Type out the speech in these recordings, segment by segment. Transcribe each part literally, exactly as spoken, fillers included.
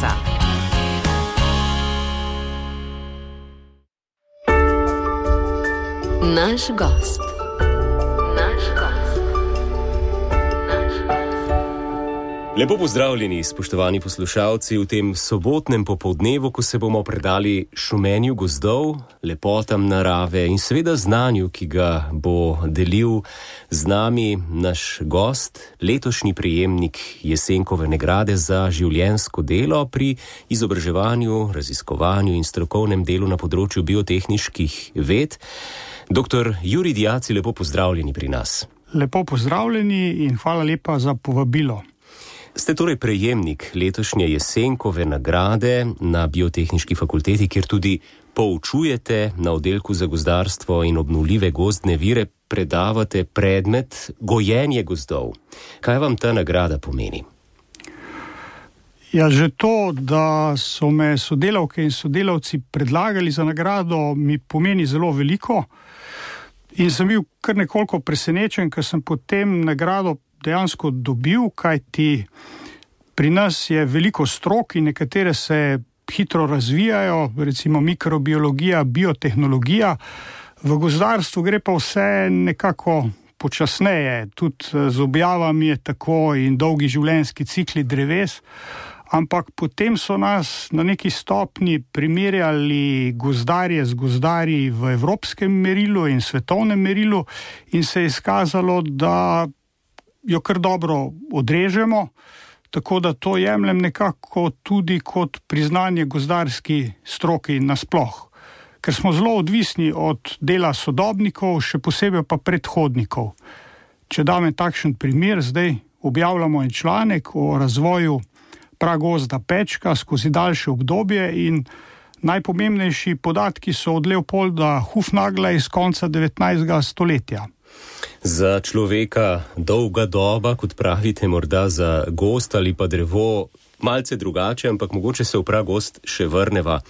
marca. Naš gost. Naš gost. Naš gost. Lepo pozdravljeni, spoštovani poslušalci, v tem sobotnem popoldnevu, ko se bomo predali šumenju gozdov, lepotam narave in seveda znanju, ki ga bo delil z nami naš gost, letošnji prejemnik Jesenkove nagrade za življenjsko delo pri izobraževanju, raziskovanju in strokovnem delu na področju biotehniških ved. Doktor Jurij Diaci, lepo pozdravljeni pri nas. Lepo pozdravljeni in hvala lepa za povabilo. Ste torej prejemnik letošnje Jesenkove nagrade na Biotehniški fakulteti, kjer tudi poučujete na oddelku za gozdarstvo in obnovljive gozdne vire, predavate predmet gojenje gozdov. Kaj vam ta nagrada pomeni? Ja, že to, da so me sodelavke in sodelavci predlagali za nagrado, mi pomeni zelo veliko. In sem bil kar nekoliko presenečen, ker sem potem nagrado dejansko dobil, kajti pri nas je veliko strok in nekatere se hitro razvijajo, recimo mikrobiologija, biotehnologija. V gozdarstvu gre pa vse nekako počasneje, tudi z objavami je tako in dolgi življenjski cikli dreves, ampak potem so nas na neki stopni primerjali gozdarje z gozdarji v evropskem merilu in svetovnem merilu in se je izkazalo, da jo kar dobro odrežemo, tako da to jemljem nekako tudi kot priznanje gozdarski stroki nasploh. Ker smo zelo odvisni od dela sodobnikov, še posebej pa predhodnikov. Če dam takšen primer, zdaj objavljamo en članek o razvoju pragozda Pečka skozi daljše obdobje in najpomembnejši podatki so od Leopolda Hufnagla iz konca devetnajstega stoletja. Za človeka dolga doba, kot pravite, morda za gozd ali pa drevo malce drugače, ampak mogoče se v pragozd še vrneva.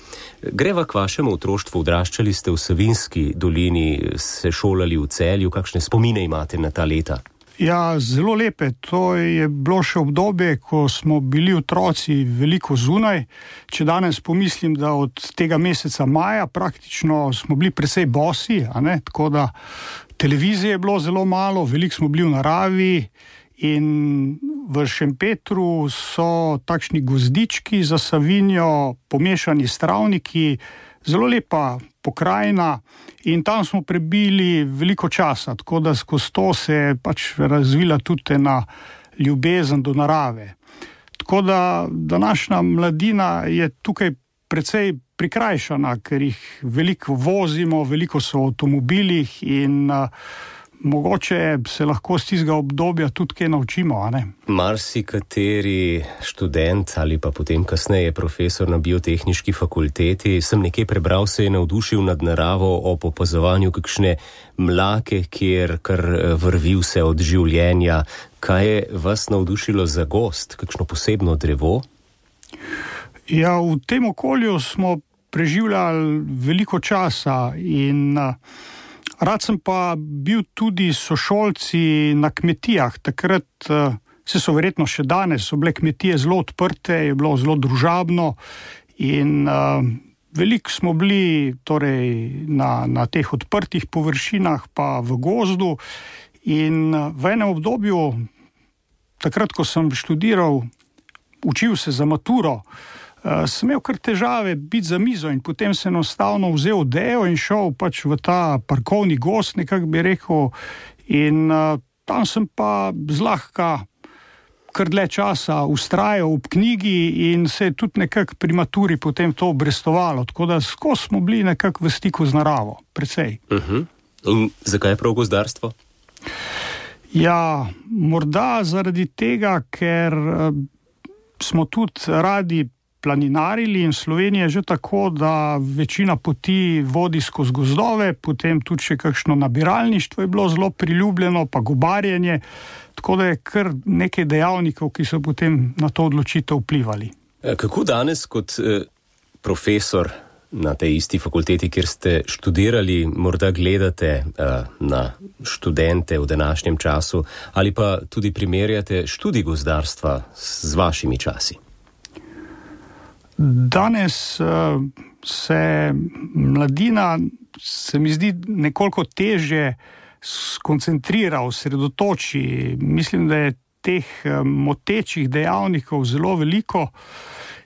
Greva k vašemu otroštvu, odraščali ste v Savinjski dolini, se šolali v Celju, kakšne spomine imate na ta leta? Ja, zelo lepe. To je bilo še obdobje, ko smo bili otroci veliko zunaj. Če danes pomislim, da od tega meseca maja praktično smo bili precej bosi, a ne? Tako da televizije je bilo zelo malo, veliko smo bili v naravi in v Šempetru so takšni gozdički za Savinjo, pomešani s travniki, zelo lepa pokrajina in tam smo prebili veliko časa, tako da skozi to se je pač razvila tudi ena ljubezen do narave. Tako da današnja mladina je tukaj precej prikrajšana, ker jih veliko vozimo, veliko so v avtomobilih in uh, mogoče se lahko z tistega obdobja tudi kaj naučimo, a ne? Marsikateri študent ali pa potem kasneje profesor na Biotehniški fakulteti, sem nekaj prebral, se je navdušil nad naravo ob opazovanju kakšne mlake, kjer kar vrvi vse od življenja. Kaj je vas navdušilo za gozd, kakšno posebno drevo? Ja, v tem okolju smo preživljali veliko časa in uh, rad sem pa bil tudi sošolci na kmetijah. Takrat, se so verjetno še danes, so bile kmetije zelo odprte, je bilo zelo družabno in uh, veliko smo bili torej, na, na teh odprtih površinah pa v gozdu in v enem obdobju, takrat, ko sem študiral, učil se za maturo, Uh, sem imel kar težave biti za mizo in potem sem enostavno vzel odejo in šel pač v ta parkovni gozd, nekako bi rekel, in uh, tam sem pa zlahka kar dlje časa vztrajal ob knjigi in se je tudi nekako pri maturi potem to obrestovalo, tako da skozi smo bili nekako v stiku z naravo, precej. Uh-huh. In zakaj prav gozdarstvo? Ja, morda zaradi tega, ker uh, smo tudi radi planinarili in Slovenija je že tako, da večina poti vodi skozi gozdove, potem tudi še kakšno nabiralništvo je bilo zelo priljubljeno, pa gobarjenje, tako da je kar nekaj dejavnikov, ki so potem na to odločitev vplivali. Kako danes kot eh, profesor na tej isti fakulteti, kjer ste študirali, morda gledate uh, na študente v današnjem času ali pa tudi primerjate študij gozdarstva z vašimi časi? Danes uh, se mladina, se mi zdi, nekoliko težje skoncentrira, osredotoči. Mislim, da je teh motečih dejavnikov zelo veliko.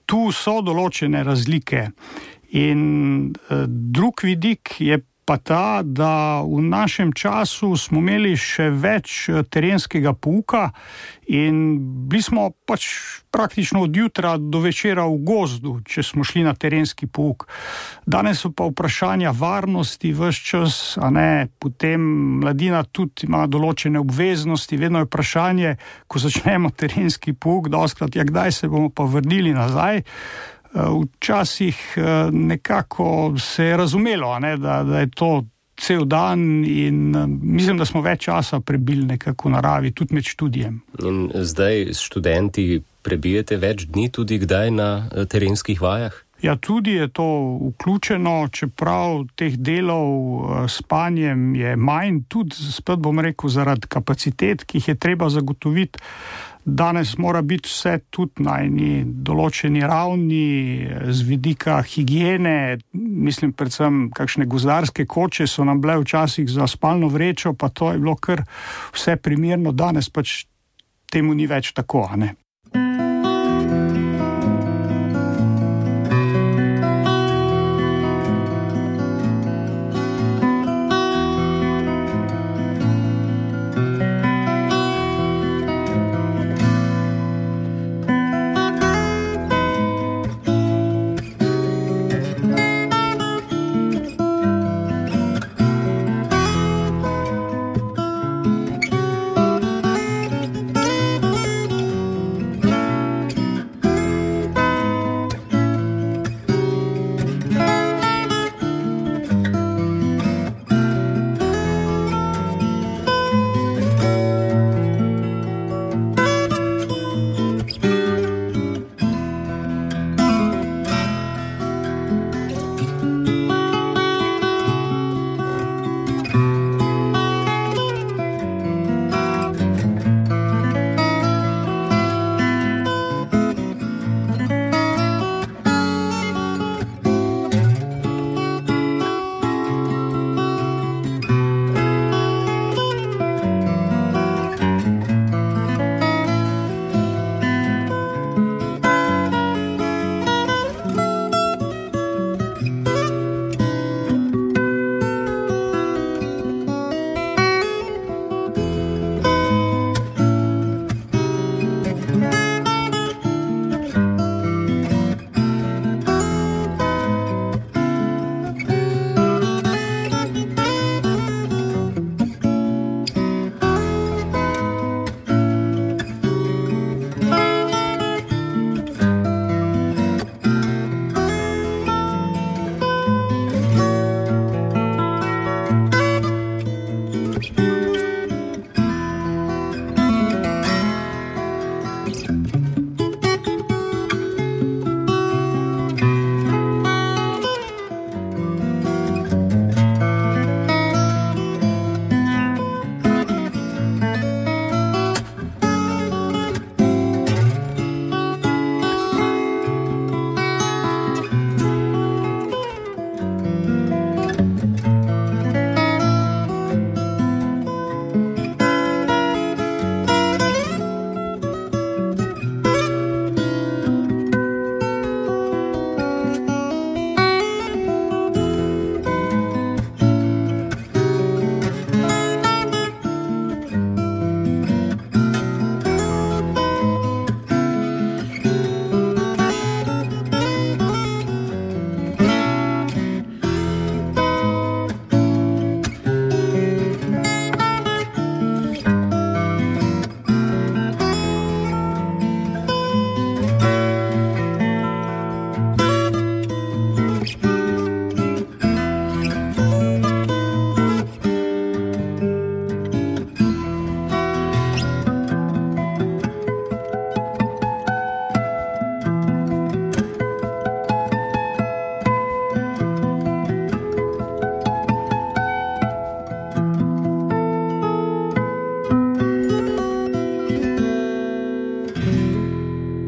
Tu so določene razlike. In uh, drug vidik je pa ta, da v našem času smo imeli še več terenskega pouka in bili smo pač praktično od jutra do večera v gozdu, če smo šli na terenski pouk. Danes so pa vprašanja varnosti ves čas, a ne, potem mladina tudi ima določene obveznosti, vedno je vprašanje, ko začnemo terenski pouk, dostikrat, ja, kdaj se bomo pa vrnili nazaj. Včasih nekako se je razumelo, ne, da, da je to cel dan in mislim, da smo več časa prebili nekako v naravi, tudi med študijem. In zdaj s študenti prebijete več dni tudi kdaj na terenskih vajah? Ja, tudi je to vključeno, čeprav teh delov s spanjem je manj, tudi spet bom rekel zaradi kapacitet, ki jih je treba zagotoviti. Danes mora biti vse tudi na eni določeni ravni z vidika higiene, mislim predvsem kakšne gozdarske koče so nam bile včasih za spalno vrečo, pa to je bilo kar vse primerno, danes pač temu ni več tako, a ne.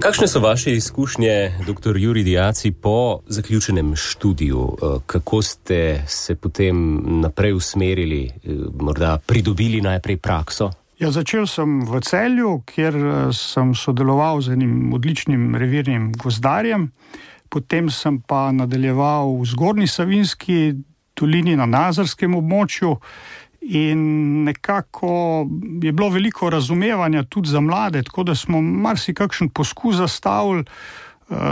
Kakšne so vaše izkušnje, doktor Jurij Diaci, po zaključenem študiju? Kako ste se potem naprej usmerili, morda pridobili najprej prakso? Ja, začel sem v Celju, kjer sem sodeloval z enim odličnim revirnim gozdarjem. Potem sem pa nadaljeval v Zgornji Savinjski dolini na Nazarskem območju. In nekako je bilo veliko razumevanja tudi za mlade, tako da smo marsikakšen poskus zastavili,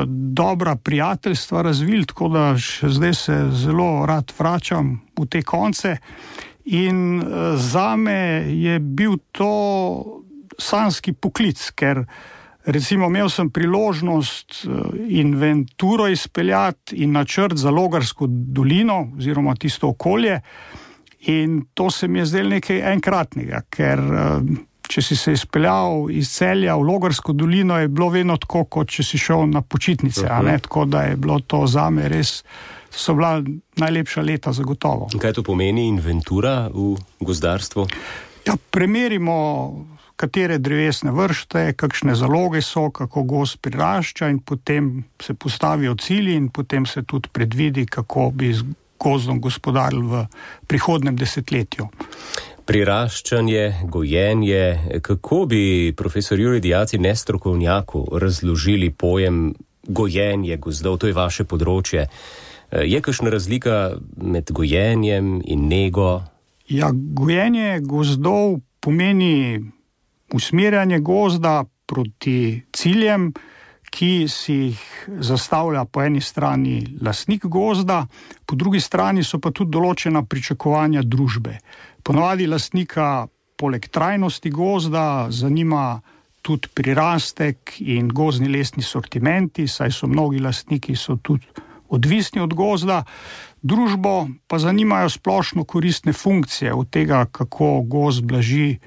dobra prijateljstva razvili, tako da še zdaj se zelo rad vračam v te konce. In zame je bil to sanjski poklic, ker recimo imel sem priložnost inventuro izpeljati in načrt za Logarsko dolino oziroma tisto okolje. In to se mi je zdelo nekaj enkratnega, ker če si se izpeljal iz Celja v Logarsko dolino, je bilo vedno tako, kot če si šel na počitnice, a ne? Tako da je bilo to zame res, so bila najlepša leta zagotovo. Kaj to pomeni inventura v gozdarstvu? Ja, premerimo, katere drevesne vrste, kakšne zaloge so, kako gozd prirašča in potem se postavijo cilji in potem se tudi predvidi, kako bi gozdom gospodarili v prihodnem desetletju. Priraščanje, gojenje, kako bi profesor Jurij Diaci nestrokovnjaku razložili pojem gojenje gozdov, to je vaše področje. Je kakšna razlika med gojenjem in nego? Ja, gojenje gozdov pomeni usmerjanje gozda proti ciljem, ki si jih zastavlja po eni strani lastnik gozda, po drugi strani so pa tudi določena pričakovanja družbe. Ponavadi lastnika poleg trajnosti gozda zanima tudi prirastek in gozdni lesni sortimenti, saj so mnogi lastniki so tudi odvisni od gozda. Družbo pa zanimajo splošno koristne funkcije od tega, kako gozd blaži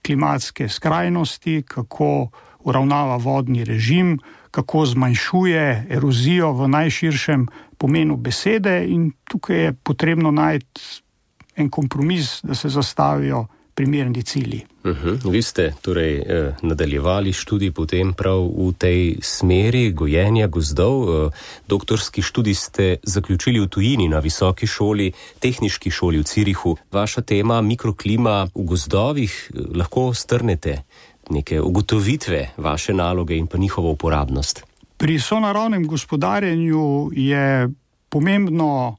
klimatske skrajnosti, kako uravnava vodni režim, kako zmanjšuje erozijo v najširšem pomenu besede in tukaj je potrebno najti en kompromis, da se zastavijo primerni cilji. Uh-huh. Vi ste torej eh, nadaljevali študij potem prav v tej smeri gojenja gozdov. Eh, doktorski študij ste zaključili v tujini na visoki šoli, tehniški šoli v Zürichu. Vaša tema mikroklima v gozdovih, eh, lahko strnete neke ugotovitve vaše naloge in pa njihovo uporabnost? Pri sonaravnem gospodarjenju je pomembno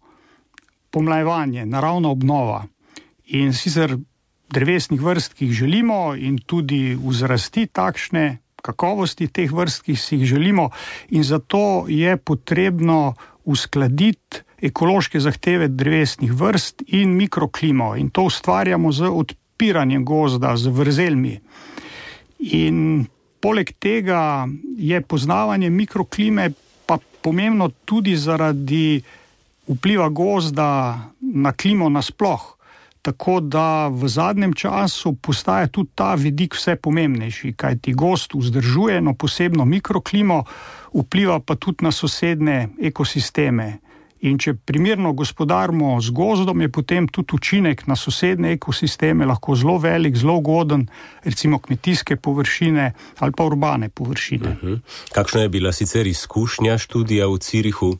pomlajevanje, naravna obnova. In sicer drevesnih vrst, ki jih želimo in tudi vzrasti takšne kakovosti teh vrst, ki si jih želimo. In zato je potrebno uskladiti ekološke zahteve drevesnih vrst in mikroklimo. In to ustvarjamo z odpiranjem gozda, z vrzelmi. In poleg tega je poznavanje mikroklime pa pomembno tudi zaradi vpliva gozda na klimo nasploh. Tako da v zadnjem času postaja tudi ta vidik vse pomembnejši, kajti gozd vzdržuje eno posebno mikroklimo, vpliva pa tudi na sosednje ekosisteme. In če primerno gospodarimo z gozdom, je potem tudi učinek na sosednje ekosisteme lahko zelo velik, zelo ugoden, recimo kmetijske površine ali pa urbane površine. Uh-huh. Kakšna je bila sicer izkušnja študija v Zürichu?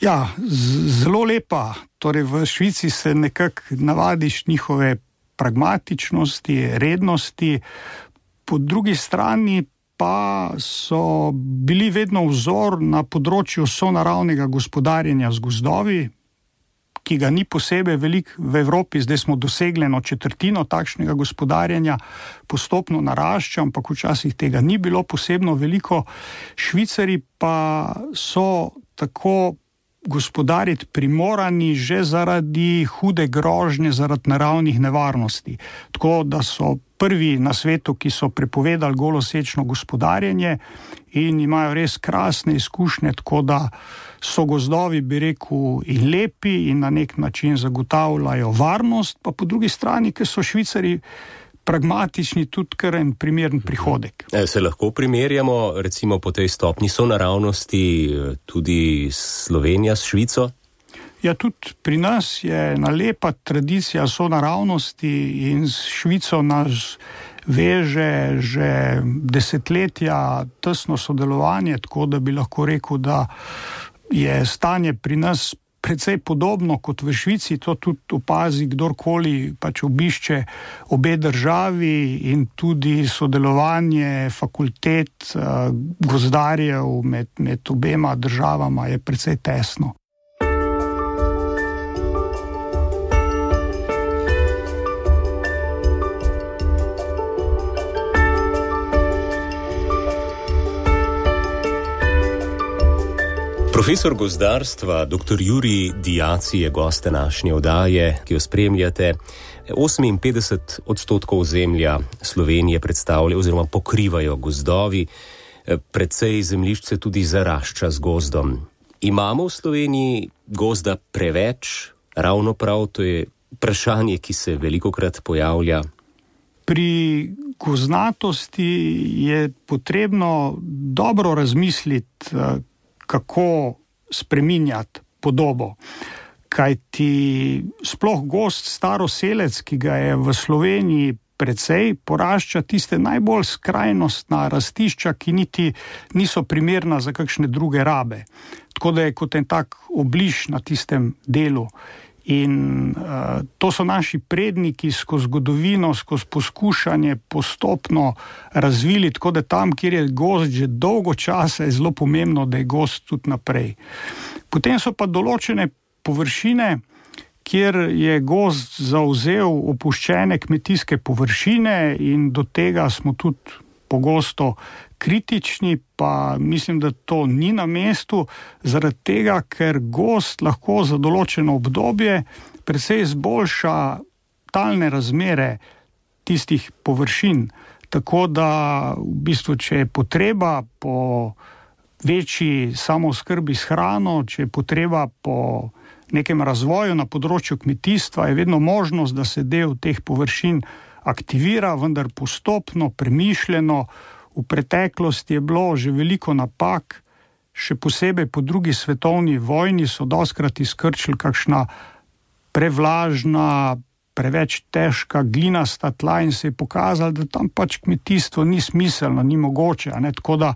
Ja, z- zelo lepa. Torej v Švici se nekako navadiš njihove pragmatičnosti, rednosti, po drugi strani pa so bili vedno vzor na področju sonaravnega gospodarjenja z gozdovi, ki ga ni posebej veliko v Evropi, zdaj smo dosegli eno četrtino takšnega gospodarjenja, postopno narašča, ampak včasih tega ni bilo posebno veliko. Švicari pa so tako gospodariti primorani že zaradi hude grožnje, zaradi naravnih nevarnosti. Tako da so prvi na svetu, ki so prepovedali golosečno gospodarjenje in imajo res krasne izkušnje, tako da so gozdovi, bi rekel, in lepi in na nek način zagotavljajo varnost, pa po drugi strani, ker so Švicari pragmatični, tudi kar en primeren prihodek. Se lahko primerjamo recimo po tej stopni sonaravnosti tudi Slovenija s Švico? Ja, tudi pri nas je ena lepa tradicija sonaravnosti in s Švico nas veže že desetletja tesno sodelovanje, tako da bi lahko rekel, da je stanje pri nas precej podobno kot v Švici. To tudi opazi kdorkoli pač obišče obe državi, in tudi sodelovanje fakultet, gozdarjev med, med obema državama je precej tesno. Profesor gozdarstva, doktor Jurij Diaci je gost današnje oddaje, ki jo spremljate. oseminpetdeset odstotkov ozemlja Slovenije predstavlja oziroma pokrivajo gozdovi, precej zemljišč se tudi zarašča z gozdom. Imamo v Sloveniji gozda preveč? Ravno prav, to je vprašanje, ki se velikokrat pojavlja. Pri gozdnatosti je potrebno dobro razmisliti, kako spreminjati podobo. Kajti sploh gozd staroselec, ki ga je v Sloveniji precej, porašča tiste najbolj skrajnostna rastišča, ki niti niso primerna za kakšne druge rabe. Tako da je kot en tak obliž na tistem delu. In uh, to so naši predniki skozi zgodovino, skozi poskušanje postopno razvili, tako da tam, kjer je gozd že dolgo časa, je zelo pomembno, da je gozd tudi naprej. Potem so pa določene površine, kjer je gozd zavzel opuščene kmetijske površine, in do tega smo tudi pogosto kritični, pa mislim, da to ni na mestu, zaradi tega, ker gozd lahko za določeno obdobje precej izboljša talne razmere tistih površin. Tako da v bistvu, če je potreba po večji samooskrbi s hrano, če je potreba po nekem razvoju na področju kmetijstva, je vedno možnost, da se del teh površin aktivira, vendar postopno, premišljeno. V preteklosti je bilo že veliko napak, še posebej po drugi svetovni vojni so dostkrat izkrčili kakšna prevlažna, preveč težka glinasta tla in se je pokazalo, da tam pač kmetijstvo ni smiselno, ni mogoče. Ne? Tako da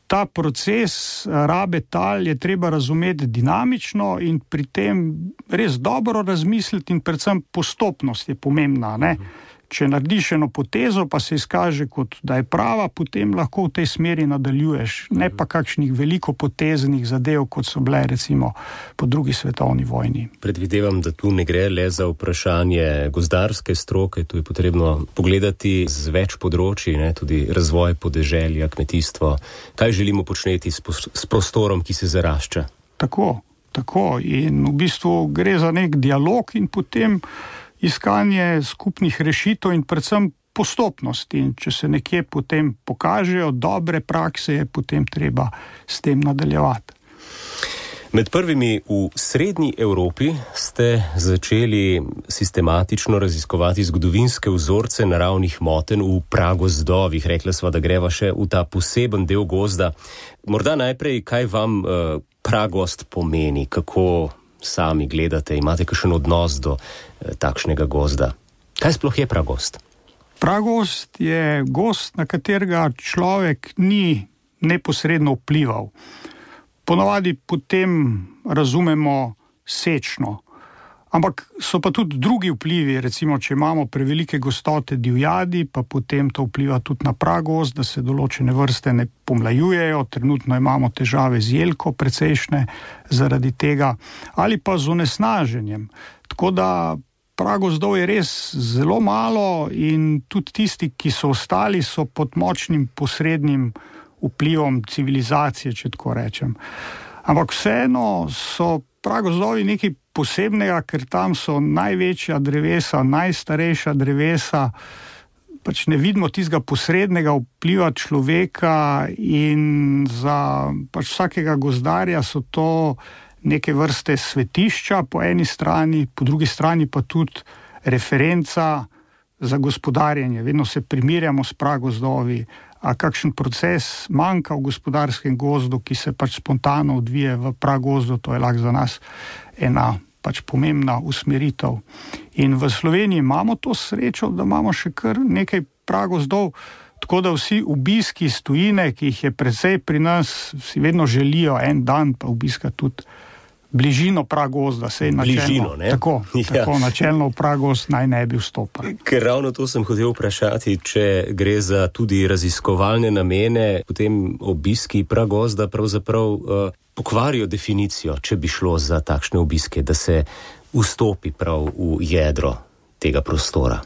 ta proces rabe tal je treba razumeti dinamično in pri tem res dobro razmisliti, in predvsem postopnost je pomembna. Ne? Če narediš eno potezo, pa se izkaže kot da je prava, potem lahko v tej smeri nadaljuješ, ne pa kakšnih veliko poteznih zadev, kot so bile recimo po drugi svetovni vojni. Predvidevam, da tu ne gre le za vprašanje gozdarske stroke, tu je potrebno pogledati z več področji, ne, tudi razvoj podeželja, kmetijstvo. Kaj želimo početi s, s prostorom, ki se zarašča? Tako, tako. In v bistvu gre za nek dialog in potem iskanje skupnih rešitev in predvsem postopnosti. In če se nekje potem pokažejo dobre prakse, je potem treba s tem nadaljevati. Med prvimi v srednji Evropi ste začeli sistematično raziskovati zgodovinske vzorce naravnih motenj v pragozdovih. Rekla sva, da greva še v ta poseben del gozda. Morda najprej, kaj vam uh, pragozd pomeni, kako sami gledate, imate kakšen odnos do eh, takšnega gozda? Kaj sploh je pragozd? Pragozd je gozd, na katerega človek ni neposredno vplival. Ponavadi potem razumemo sečno. Ampak so pa tudi drugi vplivi, recimo, če imamo prevelike gostote divjadi, pa potem to vpliva tudi na pragozd, da se določene vrste ne pomlajujejo, trenutno imamo težave z jelko precejšnje zaradi tega, ali pa z onesnaženjem. Tako da pragozdov je res zelo malo in tudi tisti, ki so ostali, so pod močnim posrednim vplivom civilizacije, če tako rečem. Ampak vseeno so pragozdovi nekaj posebnega, ker tam so največja drevesa, najstarejša drevesa, pač ne vidimo tistega posrednega vpliva človeka, in za pač vsakega gozdarja so to neke vrste svetišča po eni strani, po drugi strani pa tudi referenca za gospodarjenje. Vedno se primerjamo s pragozdovi, a kakšen proces manjka v gospodarskem gozdu, ki se pač spontano odvije v pragozdu, to je lahko za nas ena pač pomembna usmeritev. In v Sloveniji imamo to srečo, da imamo še kar nekaj pragozdov, tako da vsi obiski iz tujine, ki jih je precej pri nas, si vedno želijo en dan pa obiska tudi bližino pragozda. Bližino, ne? Tako, ja. tako načelno v pragozd naj ne bi vstopali. Ker ravno to sem hotel vprašati, če gre za tudi raziskovalne namene, potem obiski pragozda pravzaprav uh, pokvarijo definicijo, če bi šlo za takšne obiske, da se vstopi prav v jedro tega prostora.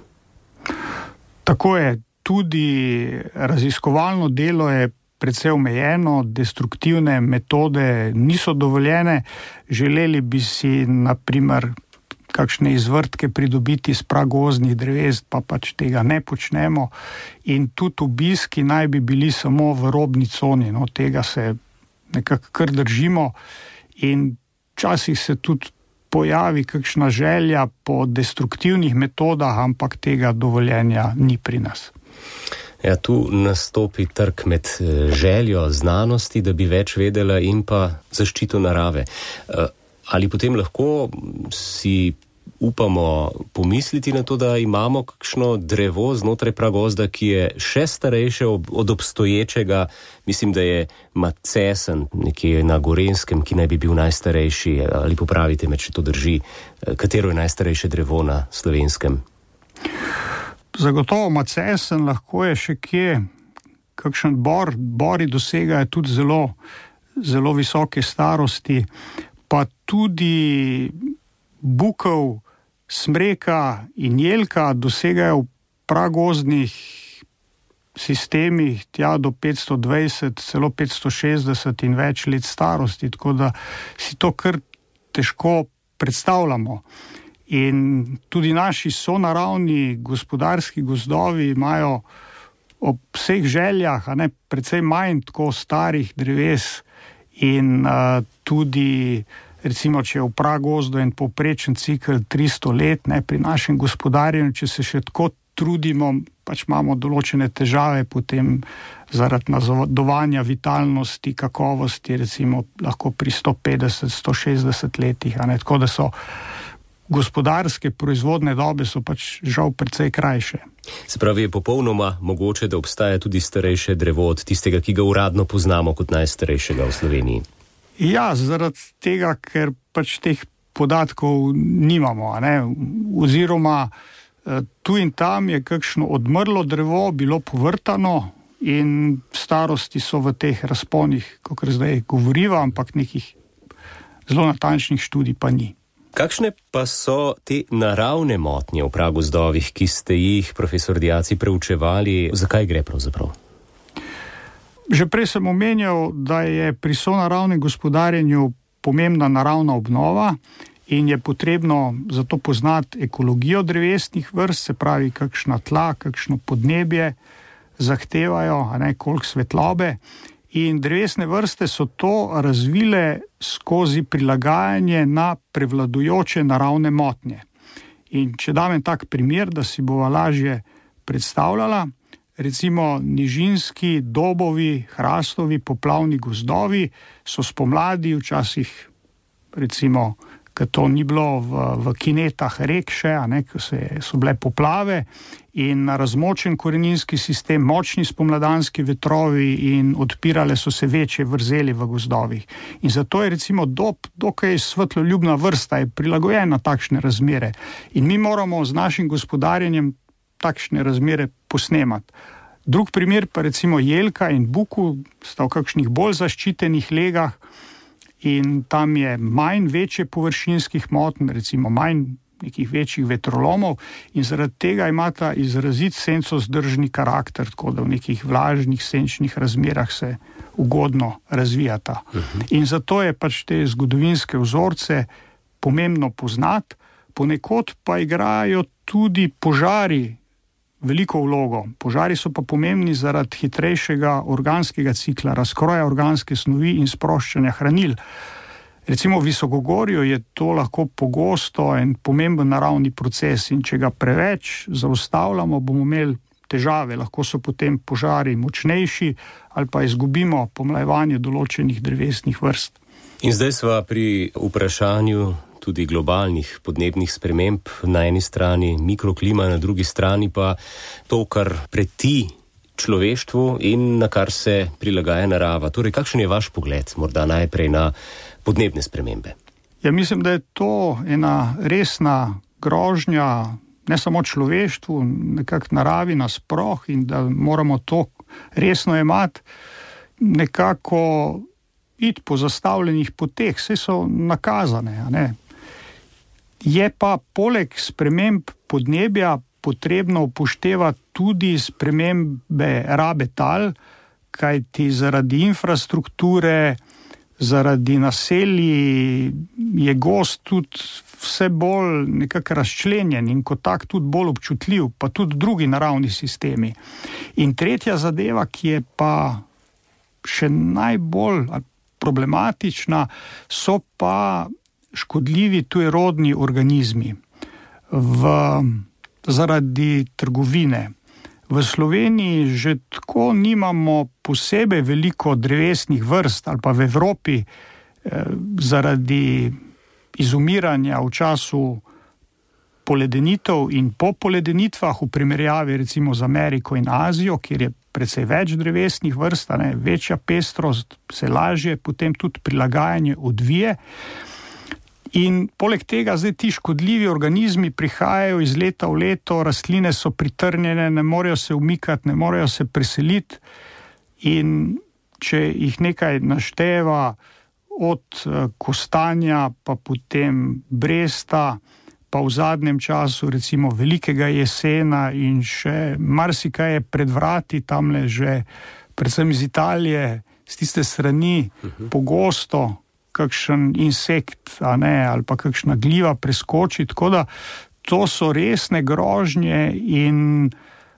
Tako je, tudi raziskovalno delo je precej omejeno, destruktivne metode niso dovoljene. Želeli bi si, na primer, kakšne izvrtke pridobiti iz pragozdnih dreves, pa pač tega ne počnemo. In tudi obiski naj bi bili samo v robni coni, no, tega se nekako kar držimo. In včasih se tudi pojavi kakšna želja po destruktivnih metodah, ampak tega dovoljenja ni pri nas. Ja, tu nastopi trk med željo znanosti, da bi več vedela, in pa zaščito narave. Ali potem lahko si upamo pomisliti na to, da imamo kakšno drevo znotraj pragozda, ki je še starejše od obstoječega, mislim, da je macesen nekje na Gorenjskem, ki naj bi bil najstarejši, ali popravite me, če to drži, katero je najstarejše drevo na Slovenskem? Zagotovo macesen, lahko je še kje, kakšen bor, bori dosegajo tudi zelo, zelo visoke starosti, pa tudi bukev, smreka in jelka dosegajo v pragozdnih sistemih tja do petsto dvajset, celo petsto šestdeset in več let starosti, tako da si to kar težko predstavljamo. In tudi naši sonaravni gospodarski gozdovi imajo ob vseh željah, a ne, precej manj tako starih dreves in uh, tudi, recimo, če je v pragozdu en povprečen cikel tristo let, ne, pri našem gospodarjenju, če se še tako trudimo, pač imamo določene težave potem zaradi nazadovanja vitalnosti, kakovosti, recimo lahko pri sto petdeset, sto šestdeset letih, a ne, tako da so gospodarske proizvodne dobe so pač žal precej krajše. Se pravi, je popolnoma mogoče, da obstaja tudi starejše drevo od tistega, ki ga uradno poznamo kot najstarejšega v Sloveniji? Ja, zaradi tega, ker pač teh podatkov nimamo, a ne? Oziroma tu in tam je kakšno odmrlo drevo bilo povrtano in starosti so v teh razponih, kakor zdaj govoriva, ampak nekih zelo natančnih študij pa ni. Kakšne pa so te naravne motnje v pragozdovih, ki ste jih, profesor Diaci, preučevali? Zakaj gre pravzaprav? Že prej sem omenjal, da je pri sonaravnem gospodarjenju pomembna naravna obnova in je potrebno zato poznati ekologijo drevesnih vrst, se pravi, kakšna tla, kakšno podnebje zahtevajo, a ne, koliko svetlobe. In drevesne vrste so to razvile skozi prilagajanje na prevladujoče naravne motnje. In če dam en tak primer, da si bova lažje predstavljala, recimo nižinski dobovi, hrastovi, poplavni gozdovi so spomladi včasih, recimo, ker to ni bilo v, v kinetah rek še, a ne, ko se, so bile poplave in razmočen koreninski sistem, močni spomladanski vetrovi in odpirale so se večje vrzeli v gozdovih. In zato je recimo dob dokaj svetloljubna vrsta, je prilagojena takšne razmere. In mi moramo z našim gospodarjenjem takšne razmere posnemati. Drug primer pa recimo jelka in buku sta v kakšnih bolj zaščitenih legah in tam je manj večje površinskih motenj, recimo manj nekih večjih vetrolomov in zaradi tega imata izrazit sencozdržni karakter, tako da v nekih vlažnih senčnih razmerah se ugodno razvijata. Uh-huh. In zato je pač te zgodovinske vzorce pomembno poznati, ponekod pa igrajo tudi požari veliko vlogo. Požari so pa pomembni zaradi hitrejšega organskega cikla, razkroja organske snovi in sproščanja hranil. Recimo v visokogorju je to lahko pogosto en pomemben naravni proces in če ga preveč zaustavljamo, bomo imeli težave. Lahko so potem požari močnejši ali pa izgubimo pomlajevanje določenih drevesnih vrst. In zdaj sva pri vprašanju tudi globalnih podnebnih sprememb, na eni strani mikroklima, na drugi strani pa to, kar preti človeštvu in na kar se prilagaja narava. Torej, kakšen je vaš pogled, morda najprej na podnebne spremembe? Ja, mislim, da je to ena resna grožnja ne samo človeštvu, nekako naravi nasploh in da moramo to resno jemati, nekako iti po zastavljenih poteh, vse so nakazane. A ne? Je pa poleg sprememb podnebja potrebno upoštevati tudi spremembe rabe tal, kajti zaradi infrastrukture, zaradi naselij je gozd tudi vse bolj nekako razčlenjen in kot tak tudi bolj občutljiv, pa tudi drugi naravni sistemi. In tretja zadeva, ki je pa še najbolj problematična, so pa škodljivi tujerodni organizmi v, zaradi trgovine. V Sloveniji že tako nimamo posebej veliko drevesnih vrst ali pa v Evropi eh, zaradi izumiranja v času poledenitev in po poledenitvah v primerjavi recimo z Ameriko in Azijo, kjer je precej več drevesnih vrst, ne, večja pestrost, se lažje potem tudi prilagajanje odvije. In poleg tega zdaj ti škodljivi organizmi prihajajo iz leta v leto, rastline so pritrnjene, ne morejo se umikati, ne morejo se preseliti in če jih nekaj našteva od kostanja, pa potem bresta, pa v zadnjem času recimo velikega jesena in še marsikaj je pred vrati, tamle že predvsem iz Italije, z tiste strani uh-huh. pogosto kakšen insekt, a ne, ali pa kakšna gljiva preskoči, tako da to so resne grožnje in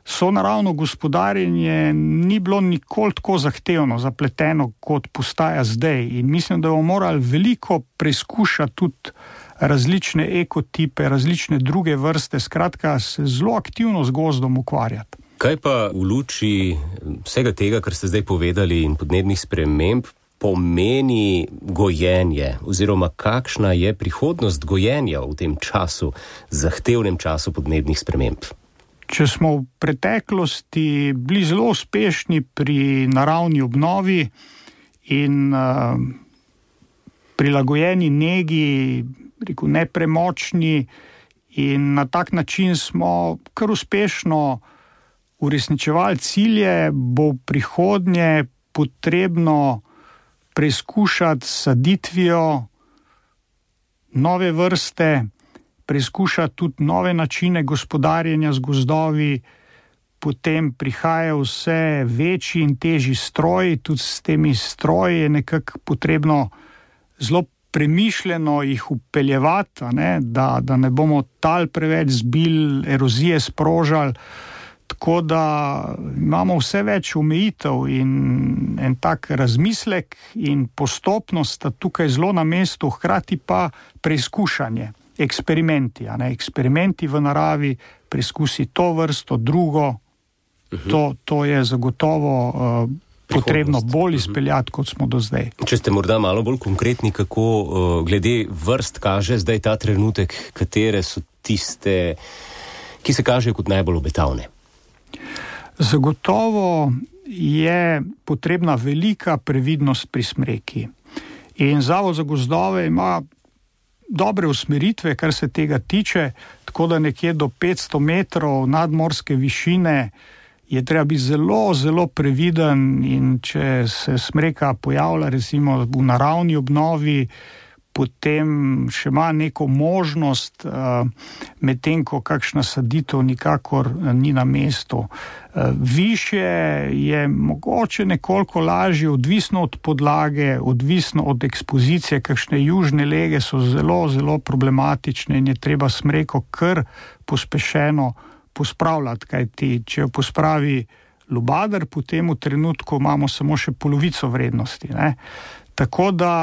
sonaravno gospodarjenje ni bilo nikoli tako zahtevno, zapleteno, kot postaja zdaj. In mislim, da bomo morali veliko preizkušati tudi različne ekotipe, različne druge vrste, skratka se zelo aktivno z gozdom ukvarjati. Kaj pa v luči vsega tega, kar ste zdaj povedali in podnebnih sprememb, pomeni gojenje oziroma kakšna je prihodnost gojenja v tem času, zahtevnem času podnebnih sprememb? Če smo v preteklosti bili zelo uspešni pri naravni obnovi in uh, prilagojeni negi, rekel, nepremočni in na tak način smo kar uspešno uresničevali cilje, bo v prihodnje potrebno preizkušati saditvijo nove vrste, preizkušati tudi nove načine gospodarjenja z gozdovi, potem prihajajo vse večji in težji stroji, tudi s temi stroji je nekako potrebno zelo premišljeno jih upeljevati, ne, da, da ne bomo tal preveč zbil, erozije sprožali, tako da imamo vse več omejitev in en tak razmislek in postopnost sta tukaj zelo na mestu, hkrati pa preizkušanje, eksperimenti, a ne, eksperimenti v naravi, preizkusi to vrsto, drugo, uh-huh. to, to je zagotovo uh, potrebno bolj izpeljati, kot smo do zdaj. Če ste morda malo bolj konkretni, kako uh, glede vrst kaže zdaj ta trenutek, katere so tiste, ki se kažejo kot najbolj obetavne? Zagotovo je potrebna velika previdnost pri smreki. In Zavod za gozdove ima dobre usmeritve, kar se tega tiče, tako da nekje do petsto metrov nadmorske višine je treba biti zelo, zelo previden in če se smreka pojavlja recimo v naravni obnovi, potem še ima neko možnost, medtem ko kakšna saditev nikakor ni na mestu. Višje je mogoče nekoliko lažje, odvisno od podlage, odvisno od ekspozicije, kakšne južne lege so zelo, zelo problematične in je treba smreko kar pospešeno pospravljati, kajti če jo pospravi lubadar, potem v trenutku imamo samo še polovico vrednosti. Ne? Tako da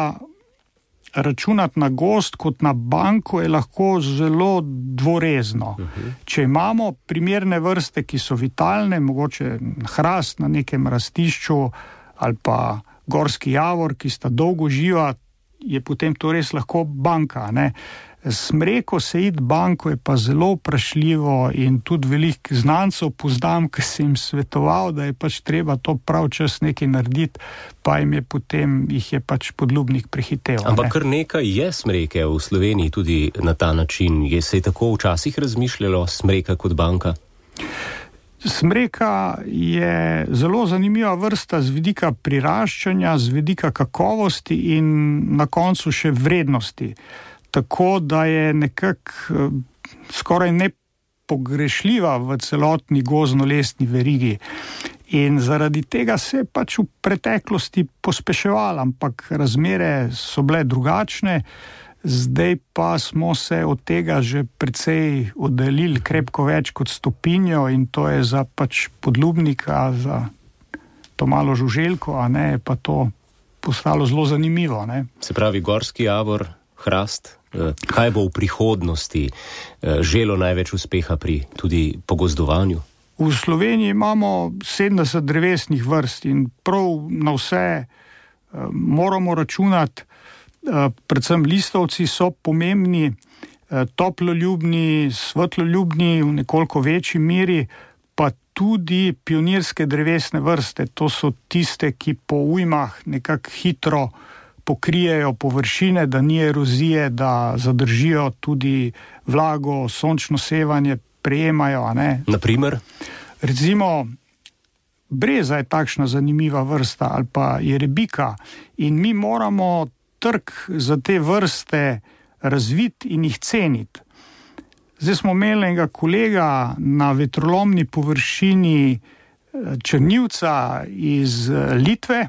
računati na gozd kot na banko je lahko zelo dvorezno. Uh-huh. Če imamo primerne vrste, ki so vitalne, mogoče hrast na nekem rastišču ali pa gorski javor, ki sta dolgo živa, je potem to res lahko banka. Ne? Smreko se iti banko je pa zelo vprašljivo in tudi veliko znancev poznam, ki sem jim svetoval, da je pač treba to prav čas nekaj narediti, pa jim je potem, jih je pač podlubnik prehitev. Ampak ne? Kar nekaj je smreke v Sloveniji tudi na ta način. Je se je tako včasih razmišljalo smreka kot banka? Smreka je zelo zanimiva vrsta z vidika priraščanja, z vidika kakovosti in na koncu še vrednosti. Tako da je nekako skoraj nepogrešljiva v celotni gozdno-lesni verigi. In zaradi tega se je pač v preteklosti pospeševala, ampak razmere so bile drugačne. Zdaj pa smo se od tega že precej oddaljili krepko več kot stopinjo in to je za pač podlubnika, za to malo žuželko, a ne, je pa to postalo zelo zanimivo. Ne? Se pravi, gorski javor, hrast, kaj bo v prihodnosti želo največ uspeha pri tudi pogozdovanju? V Sloveniji imamo sedemdeset drevesnih vrst in prav na vse moramo računati. Predvsem listovci so pomembni, toploljubni, svetloljubni v nekoliko večji meri, pa tudi pionirske drevesne vrste. To so tiste, ki po ujmah nekako hitro pokrijejo površine, da ni erozije, da zadržijo tudi vlago, sončno sevanje, prejemajo. A ne? Naprimer? Recimo, breza je takšna zanimiva vrsta ali pa jerebika in mi moramo trg za te vrste razviti in jih ceniti. Zdaj smo imeli enega kolega na vetrolomni površini črnivca iz Litve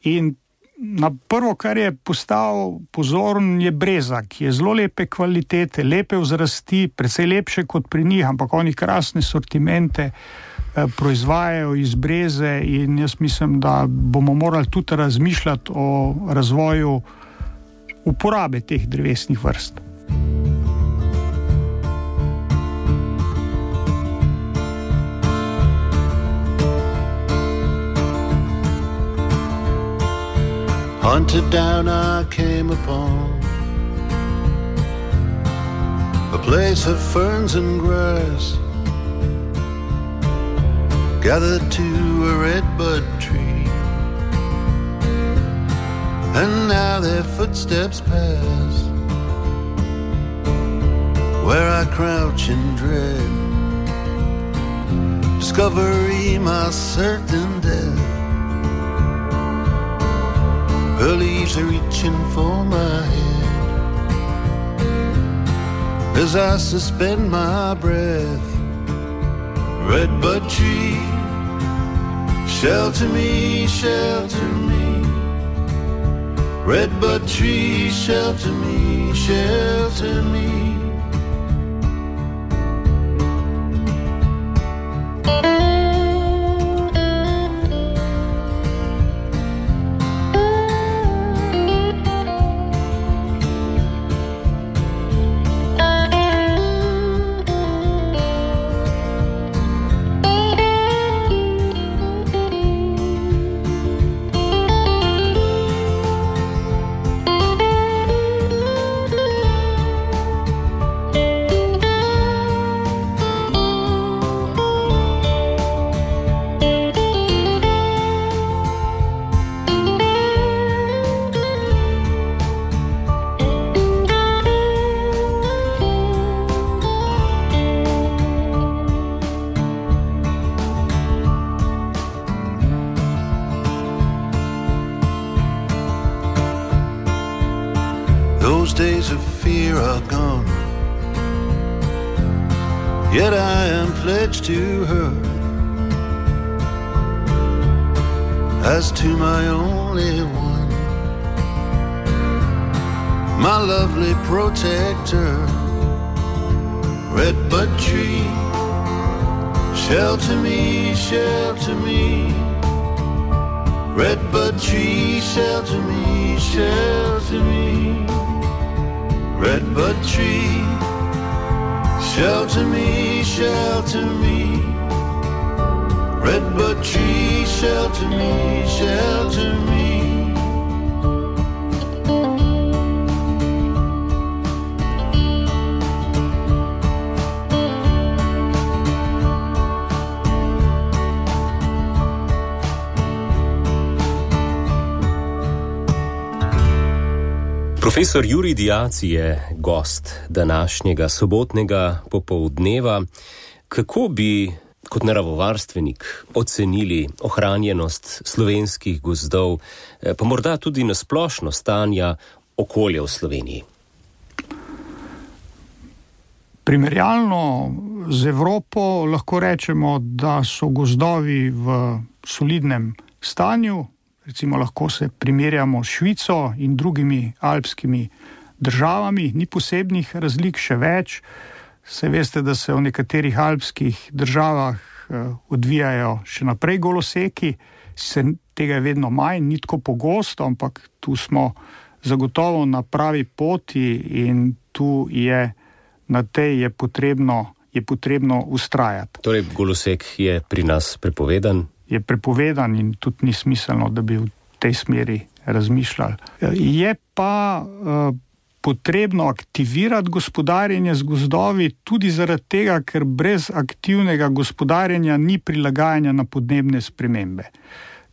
in na prvo, kar je postal pozoren, je breza, ki je zelo lepe kvalitete, lepe vzrasti, precej lepše kot pri njih, ampak oni krasne sortimente proizvajajo iz breze in jaz mislim, da bomo morali tudi razmišljati o razvoju uporabe teh drevesnih vrst. Hunted down I came upon a place of ferns and grass, gathered to a redbud tree, and now their footsteps pass where I crouch in dread, discovery my certain death. Her leaves are reaching for my head as I suspend my breath. Redbud tree, shelter me, shelter me. Redbud tree, shelter me, shelter me. Those days of fear are gone, yet I am pledged to her as to my only one, my lovely protector. Redbud tree, shelter me, shelter me. Redbud tree, shelter me, shelter me. Redbud tree, shelter me, shelter me. Redbud tree, shelter me, shelter me. Profesor Jurij Diaci je gost današnjega sobotnega popoldneva. Kako bi kot naravovarstvenik ocenili ohranjenost slovenskih gozdov, pa morda tudi nasplošno stanja okolja v Sloveniji? Primerjalno z Evropo lahko rečemo, da so gozdovi v solidnem stanju. Recimo lahko se primerjamo s Švico in drugimi alpskimi državami, ni posebnih razlik, še več. Se veste, da se v nekaterih alpskih državah odvijajo še naprej goloseki, se tega je vedno manj, ni tako pogosto, ampak tu smo zagotovo na pravi poti in tu je na tej je potrebno, je potrebno ustrajati. Torej, golosek je pri nas prepovedan? Je prepovedan in tudi ni smiselno, da bi v tej smeri razmišljali. Je pa uh, potrebno aktivirati gospodarjenje z gozdovi tudi zaradi tega, ker brez aktivnega gospodarjenja ni prilagajanja na podnebne spremembe.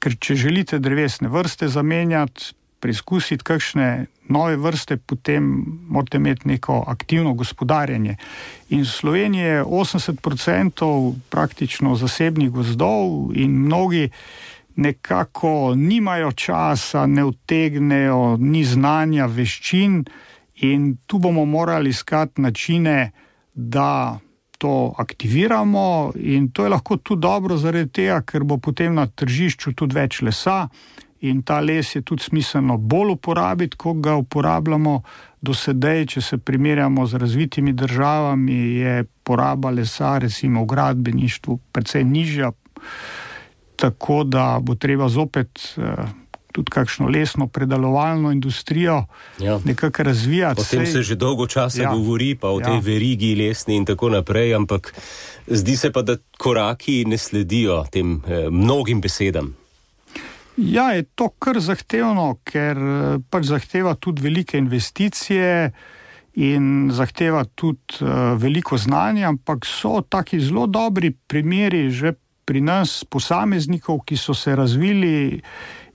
Ker če želite drevesne vrste zamenjati, preizkusiti kakšne nove vrste, potem morate imeti neko aktivno gospodarjenje. In v Sloveniji je osemdeset procentov praktično zasebnih gozdov in mnogi nekako nimajo časa, ne utegnejo, ni znanja, veščin in tu bomo morali iskati načine, da to aktiviramo in to je lahko tudi dobro zaradi tega, ker bo potem na tržišču tudi več lesa in ta les je tudi smiselno bolj uporabiti, ko ga uporabljamo do sedaj. Če se primerjamo z razvitimi državami, je poraba lesa recimo v gradbeništvu precej nižja, tako da bo treba zopet eh, tudi kakšno lesno predelovalno industrijo ja. nekako razvijati. O tem se že dolgo časa ja. govori, pa o ja. tej verigi lesni in tako naprej, ampak zdi se pa, da koraki ne sledijo tem eh, mnogim besedam. Ja, je to kar zahtevno, ker pač zahteva tudi velike investicije in zahteva tudi uh, veliko znanja, ampak so taki zelo dobri primeri že pri nas posameznikov, ki so se razvili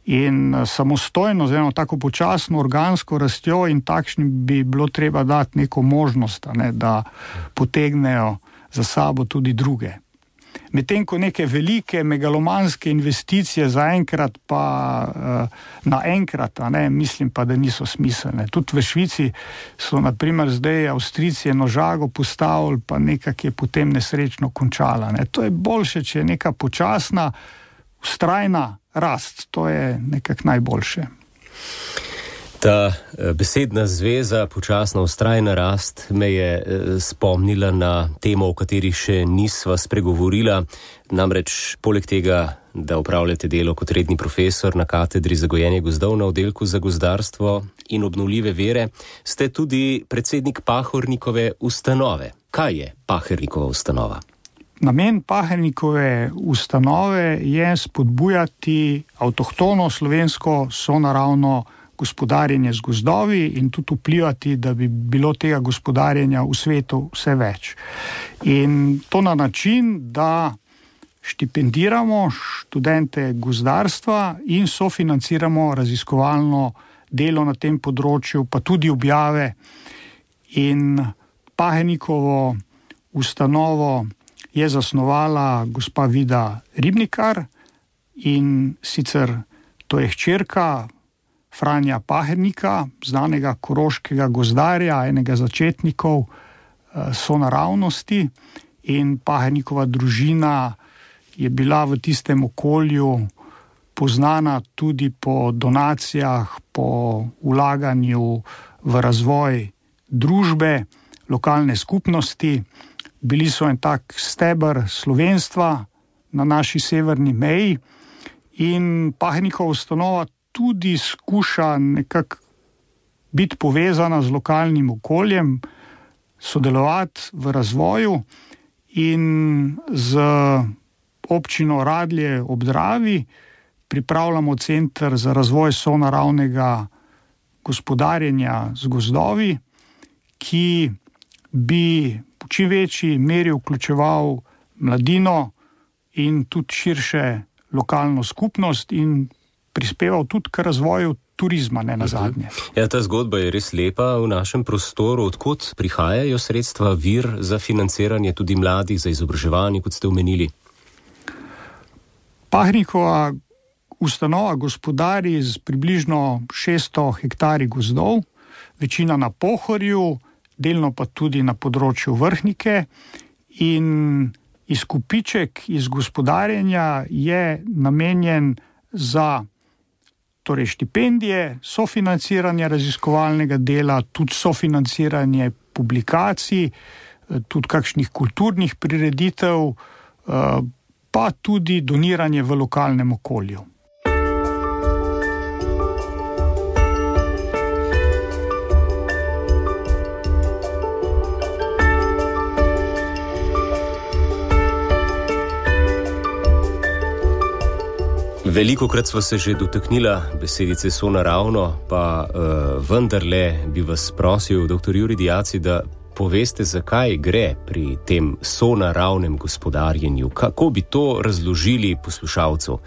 in samostojno, z eno tako počasno organsko rastjo in takšnim bi bilo treba dati neko možnost, ne, da potegnejo za sabo tudi druge. Medtem ko neke velike megalomanske investicije zaenkrat pa uh, naenkrat, a ne, mislim pa, da niso smiselne. Tudi v Švici so na primer zdaj Avstrijci eno žago postavili, pa nekak je potem nesrečno končala. Ne. To je boljše, če je neka počasna, vztrajna rast. To je nekak najboljše. Ta besedna zveza, počasna vztrajna rast, me je spomnila na temo, o kateri še nisva spregovorila. Namreč, poleg tega, da upravljate delo kot redni profesor na katedri za gojenje gozdov na oddelku za gozdarstvo in obnovljive vire, ste tudi predsednik Pahornikove ustanove. Kaj je Pahornikova ustanova? Namen Pahornikove ustanove je spodbujati avtohtono slovensko sonaravno gospodarjenje z gozdovi in tudi vplivati, da bi bilo tega gospodarjenja v svetu vse več. In to na način, da štipendiramo študente gozdarstva in sofinanciramo raziskovalno delo na tem področju, pa tudi objave. In Pahornikovo ustanovo je zasnovala gospa Vida Ribnikar in sicer to je hčerka Franja Pahornika, znanega koroškega gozdarja, enega začetnikov sonaravnosti, in Pahornikova družina je bila v tistem okolju poznana tudi po donacijah, po vlaganju v razvoj družbe, lokalne skupnosti. Bili so en tak steber slovenstva na naši severni meji in Pahornikova ustanova tudi skuša nekako biti povezana z lokalnim okoljem, sodelovati v razvoju in z občino Radlje ob Dravi pripravljamo center za razvoj sonaravnega gospodarjenja z gozdovi, ki bi v čim večji meri vključeval mladino in tudi širše lokalno skupnost in prispeval tudi k razvoju turizma, ne nazadnje. Ja, ta zgodba je res lepa v našem prostoru. Odkot prihajajo sredstva, vir za financiranje tudi mladih, za izobraževanje, kot ste omenili? Pahnikova ustanova gospodari z približno šeststo hektari gozdov, večina na Pohorju, delno pa tudi na področju Vrhnike, in izkupiček iz gospodarjenja je namenjen za torej štipendije, sofinanciranje raziskovalnega dela, tudi sofinanciranje publikacij, tudi kakšnih kulturnih prireditev, pa tudi doniranje v lokalnem okolju. Velikokrat sva se že dotaknila besedice sonaravno, pa uh, vendarle bi vas prosil, doktor Jurij Diaci, da poveste, zakaj gre pri tem sonaravnem gospodarjenju. Kako bi to razložili poslušalcu,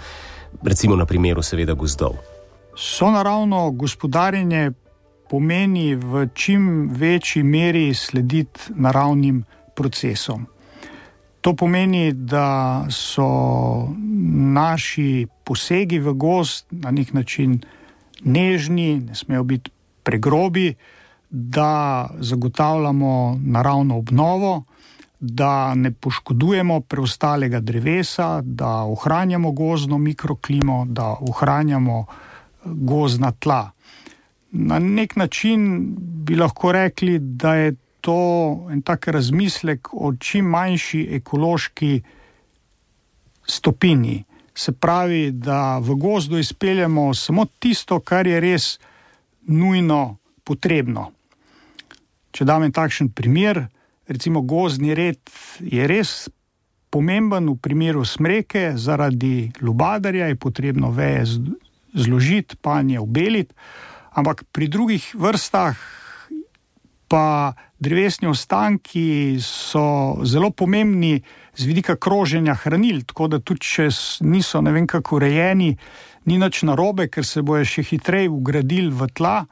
recimo na primeru seveda gozdov? Sonaravno gospodarjenje pomeni v čim večji meri slediti naravnim procesom. To pomeni, da so naši posegi v gozd na nek način nežni, ne smejo biti pregrobi, da zagotavljamo naravno obnovo, da ne poškodujemo preostalega drevesa, da ohranjamo gozdno mikroklimo, da ohranjamo gozdna tla. Na nek način bi lahko rekli, da je to en tak razmislek o čim manjši ekološki stopinji. Se pravi, da v gozdu izpeljemo samo tisto, kar je res nujno potrebno. Če dam en takšen primer, recimo gozdni red je res pomemben v primeru smreke, zaradi lubadarja je potrebno veje zložiti, panje obeliti, ampak pri drugih vrstah pa drevesni ostanki so zelo pomembni z vidika kroženja hranil, tako da tudi če niso ne vem kako urejeni, ni nič narobe, ker se bojo še hitreje vgradili v tla.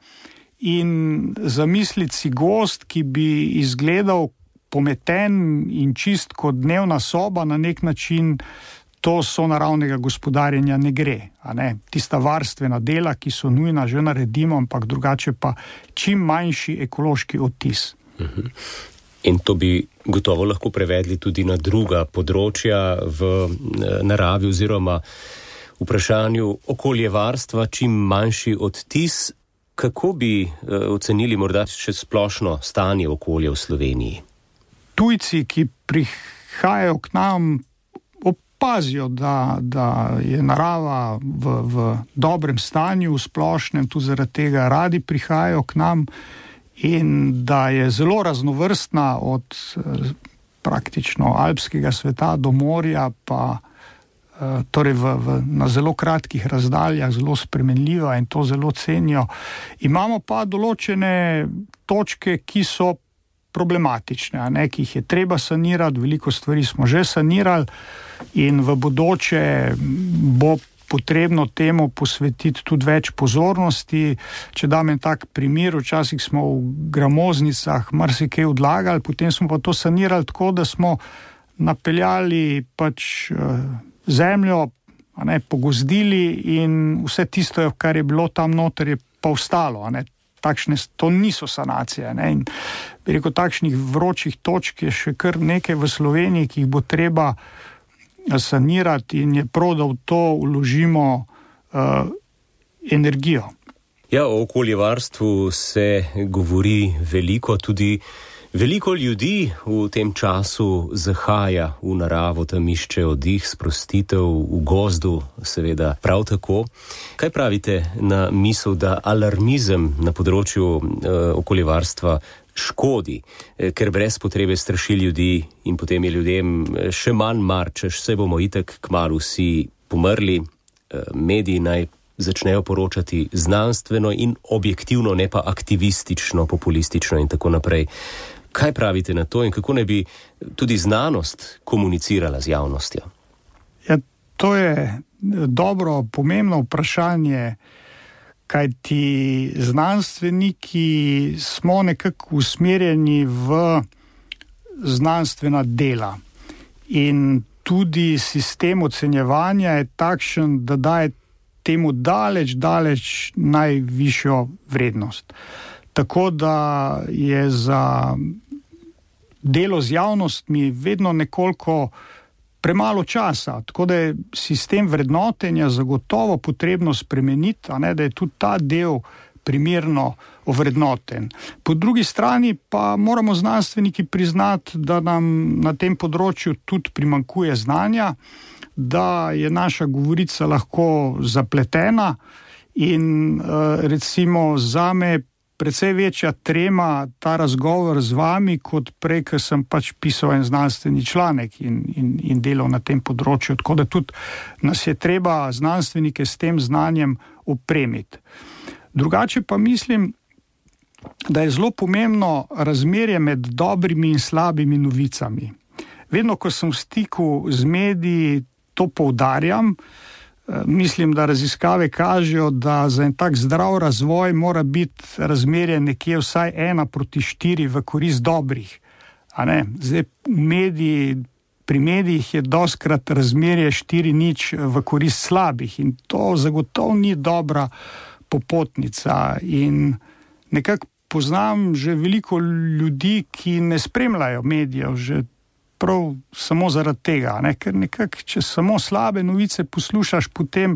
In zamisliti si gozd, ki bi izgledal pometen in čist kot dnevna soba, na nek način to sonaravnega gospodarjenja ne gre. A ne? Tista varstvena dela, ki so nujna, že naredimo, ampak drugače pa čim manjši ekološki odtis. Uh-huh. In to bi gotovo lahko prevedli tudi na druga področja v naravi oziroma vprašanju okoljevarstva, čim manjši odtis. Kako bi ocenili morda še splošno stanje okolja v Sloveniji? Tujci, ki prihajajo k nam, opazijo, da, da je narava v, v dobrem stanju, v splošnem, tudi zaradi tega radi prihajajo k nam in da je zelo raznovrstna od praktično alpskega sveta do morja, pa torej v, v, na zelo kratkih razdaljah, zelo spremenljiva in to zelo cenijo. Imamo pa določene točke, ki so problematične, a ne, ki jih je treba sanirati, veliko stvari smo že sanirali in v bodoče bo potrebno temu posvetiti tudi več pozornosti. Če dam en tak primer, včasih smo v gramoznicah marsikaj odlagali, potem smo pa to sanirali tako, da smo napeljali pač zemljo, a ne, pogozdili in vse tisto, kar je bilo tam noter, je pa ostalo, a ne. Takšne, to niso sanacije, ne. In bi rekel, takšnih vročih točk je še kar nekaj v Sloveniji, ki jih bo treba sanirati in je prav, da v to vložimo uh, energijo. Ja, o okoljevarstvu se govori veliko, tudi veliko ljudi v tem času zahaja v naravo, tam išče oddih, sprostitev v gozdu, seveda prav tako. Kaj pravite na misel, da alarmizem na področju uh, okoljevarstva škodi, ker brez potrebe straši ljudi in potem je ljudem še manj mar, češ se bomo itak kmalu vsi pomrli, mediji naj začnejo poročati znanstveno in objektivno, ne pa aktivistično, populistično in tako naprej. Kaj pravite na to in kako ne bi tudi znanost komunicirala z javnostjo? Ja, to je dobro, pomembno vprašanje, kajti znanstveniki smo nekako usmerjeni v znanstvena dela in tudi sistem ocenjevanja je takšen, da daje temu daleč, daleč najvišjo vrednost. Tako da je za delo z javnostmi vedno nekoliko premalo časa, tako da je sistem vrednotenja zagotovo potrebno spremeniti, a ne, da je tudi ta del primerno ovrednoten. Po drugi strani pa moramo znanstveniki priznati, da nam na tem področju tudi primanjkuje znanja, da je naša govorica lahko zapletena in recimo zame precej večja trema ta razgovor z vami, kot prej, ker sem pač pisal en znanstveni članek in, in, in delal na tem področju. Tako da tudi nas je treba znanstvenike s tem znanjem opremiti. Drugače pa mislim, da je zelo pomembno razmerje med dobrimi in slabimi novicami. Vedno, ko sem v stiku z mediji, to poudarjam. Mislim, da raziskave kažejo, da za en tak zdrav razvoj mora biti razmerje nekje vsaj ena proti štiri v korist dobrih. A ne? Zdaj, mediji, pri medijih je dostkrat razmerje štiri nič v korist slabih in to zagotovo ni dobra popotnica. In nekako poznam že veliko ljudi, ki ne spremljajo medijev, že prav samo zaradi tega, ne? Ker nekako, če samo slabe novice poslušaš, potem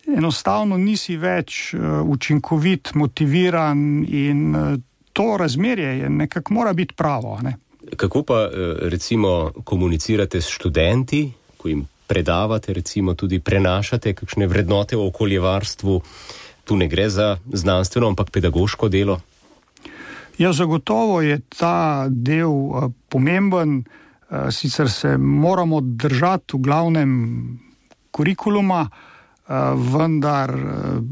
enostavno nisi več uh, učinkovit, motiviran in uh, to razmerje je nekako mora biti pravo. Ne? Kako pa recimo komunicirate s študenti, ko jim predavate, recimo tudi prenašate kakšne vrednote o okoljevarstvu? Tu ne gre za znanstveno, ampak pedagoško delo? Ja, zagotovo je ta del uh, pomemben. Sicer se moramo držati v glavnem kurikuluma, vendar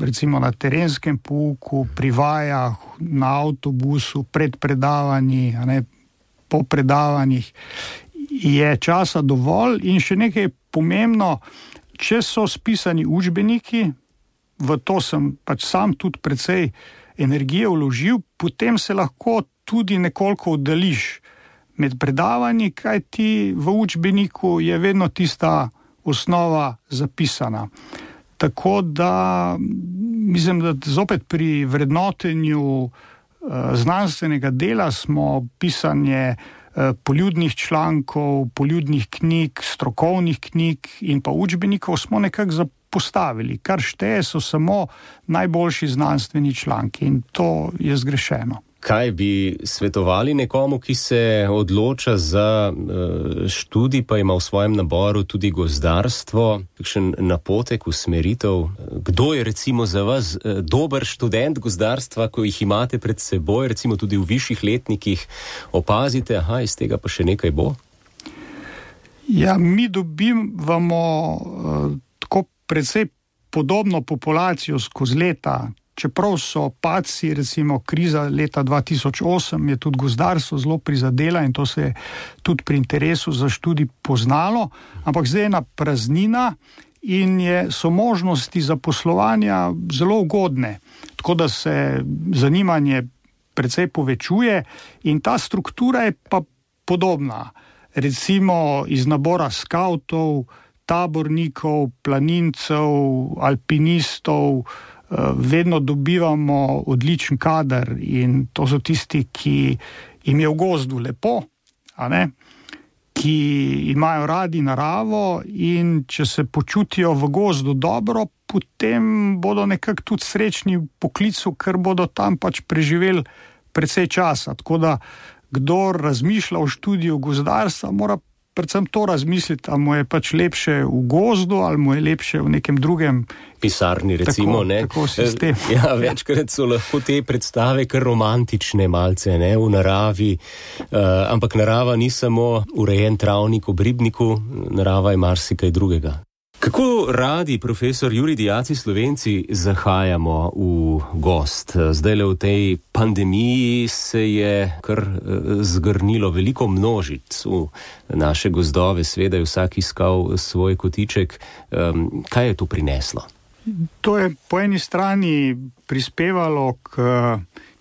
recimo na terenskem pouku, pri vajah, na avtobusu, pred predavanji, ne, po predavanjih je časa dovolj. In še nekaj pomembno, če so spisani učbeniki, v to sem pač sam tudi precej energije vložil, potem se lahko tudi nekoliko oddališ med predavanji, kajti v učbeniku je vedno tista osnova zapisana. Tako da mislim, da zopet pri vrednotenju uh, znanstvenega dela smo pisanje uh, poljudnih člankov, poljudnih knjig, strokovnih knjig in pa učbenikov smo nekako zapostavili. Kar šteje so samo najboljši znanstveni članki in to je zgrešeno. Kaj bi svetovali nekomu, ki se odloča za študij, pa ima v svojem naboru tudi gozdarstvo, kakšen napotek, usmeritev? Kdo je recimo za vas dober študent gozdarstva, ko jih imate pred seboj, recimo tudi v višjih letnikih, opazite, aha, iz tega pa še nekaj bo? Ja, mi dobivamo uh, tako precej podobno populacijo skozi leta. Čeprav so padci, recimo kriza leta dva tisoč osem, je tudi gozdarstvo zelo prizadela in to se je tudi pri interesu za študij poznalo, ampak zdaj je ena praznina in je, so možnosti zaposlovanja zelo ugodne, tako da se zanimanje precej povečuje in ta struktura je pa podobna. Recimo iz nabora skavtov, tabornikov, planincev, alpinistov, vedno dobivamo odličen kader in to so tisti, ki jim je v gozdu lepo, a ne? Ki imajo radi naravo in če se počutijo v gozdu dobro, potem bodo nekako tudi srečni v poklicu, ker bodo tam pač preživeli precej časa. Tako da kdor razmišlja o študiju gozdarstva, mora predvsem to razmisliti, ali mu je pač lepše v gozdu, ali mu je lepše v nekem drugem pisarni, recimo, tako, ne? Tako sistem. Ja, večkrat so lahko te predstave kar romantične malce, ne, v naravi, uh, ampak narava ni samo urejen travnik ob ribniku, narava je marsikaj drugega. Kako radi, profesor Jurij Diaci, Slovenci, zahajamo v gozd? Zdaj le v tej pandemiji se je kar zgrnilo veliko množic v naše gozdove, seveda je vsak iskal svoj kotiček. Kaj je to prineslo? To je po eni strani prispevalo k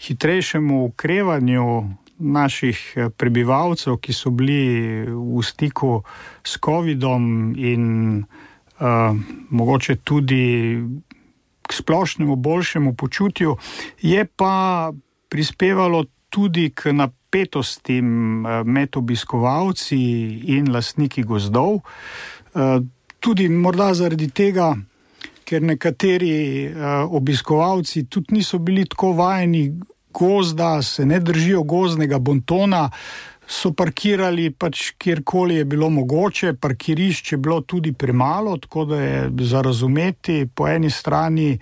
hitrejšemu okrevanju naših prebivalcev, ki so bili v stiku s covidom in uh, mogoče tudi k splošnemu boljšemu počutju, je pa prispevalo tudi k napetostim med obiskovalci in lastniki gozdov. Uh, tudi morda zaradi tega, ker nekateri uh, obiskovalci tudi niso bili tako vajeni gozda, se ne držijo gozdnega bontona, so parkirali pač kjerkoli je bilo mogoče, parkirišč je bilo tudi premalo, tako da je za razumeti po eni strani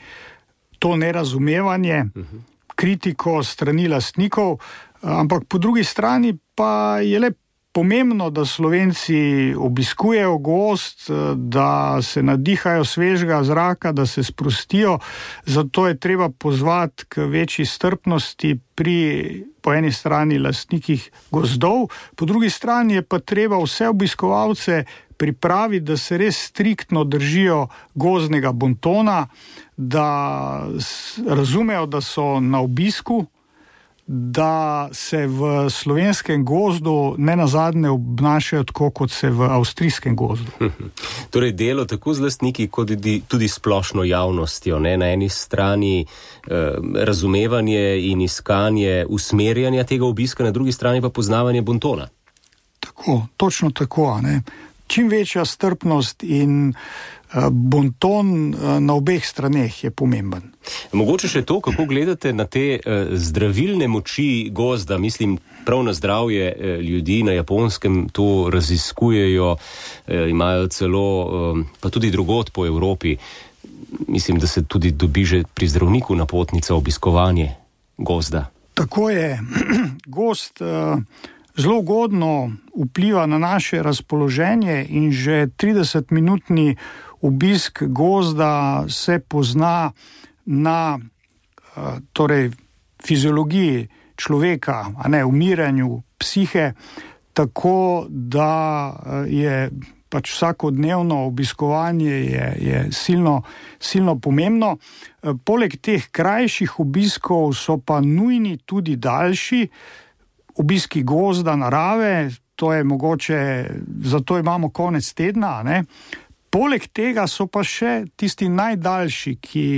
to nerazumevanje, kritiko strani lastnikov, ampak po drugi strani pa je le pomembno, da Slovenci obiskujejo gozd, da se nadihajo svežega zraka, da se sprostijo, zato je treba pozvati k večji strpnosti pri po eni strani lastnikih gozdov, po drugi strani je pa treba vse obiskovalce pripraviti, da se res striktno držijo gozdnega bontona, da razumejo, da so na obisku, da se v slovenskem gozdu ne nazadnje obnašajo tako, kot se v avstrijskem gozdu. Torej delo tako z lastniki, kot tudi splošno javnostjo, ne? Na eni strani eh, razumevanje in iskanje usmerjanja tega obiska, na drugi strani pa poznavanje bontona. Tako, točno tako, ne? Čim večja strpnost in bonton na obeh straneh je pomemben. Mogoče še to, kako gledate na te zdravilne moči gozda, mislim prav na zdravje ljudi na Japonskem, to raziskujejo, imajo celo, pa tudi drugod po Evropi. Mislim, da se tudi dobi že pri zdravniku napotnica obiskovanje gozda. Tako je. Gozd zelo ugodno vpliva na naše razpoloženje in že tridesetminutni obisk gozda se pozna na torej, fiziologiji človeka, a ne umiranju psihe, tako da je pač vsakodnevno obiskovanje je, je silno, silno pomembno. Poleg teh krajših obiskov so pa nujni tudi daljši obiski gozda, narave, to je mogoče, zato imamo konec tedna, ne? Poleg tega so pa še tisti najdaljši, ki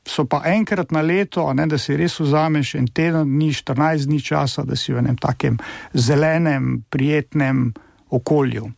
so pa enkrat na leto, ne, da si res vzameš en teden dni, štirinajst dni časa, da si v enem takem zelenem, prijetnem okolju.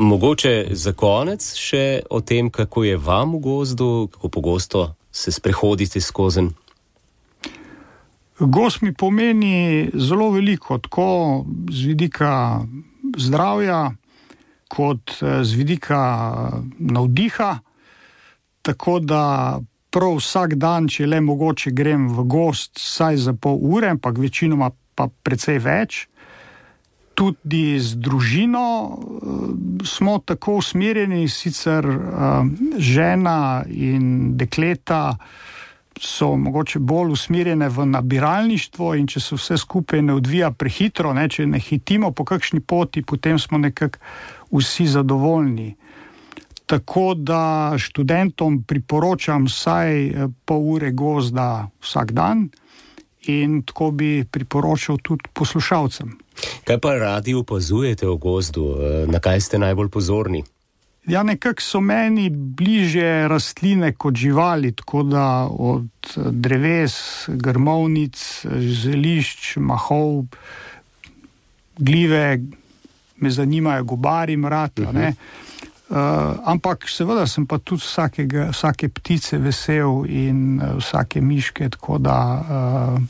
Mogoče za konec še o tem, kako je vam v gozdu, kako pogosto se sprehodite skozi. Gozd mi pomeni zelo veliko, tako z vidika zdravja, kot z vidika navdiha, tako da prav vsak dan, če le mogoče, grem v gozd vsaj za pol ure, ampak večinoma pa precej več. Tudi z družino smo tako usmerjeni, sicer žena in dekleta so mogoče bolj usmerjene v nabiralništvo in če se vse skupaj ne odvija prehitro, ne, če ne hitimo po kakšni poti, potem smo nekako vsi zadovoljni. Tako da študentom priporočam vsaj pol ure gozda vsak dan in tako bi priporočal tudi poslušalcem. Kaj pa radi opazujete v gozdu? Na kaj ste najbolj pozorni? Ja, nekako so meni bliže rastline kot živali, tako da od dreves, grmovnic, zelišč, mahov, gljive, me zanimajo gobari, mrad, uh-huh. ne. Uh, ampak seveda sem pa tudi vsakega, vsake ptice vesel in uh, vsake miške, tako da... Uh,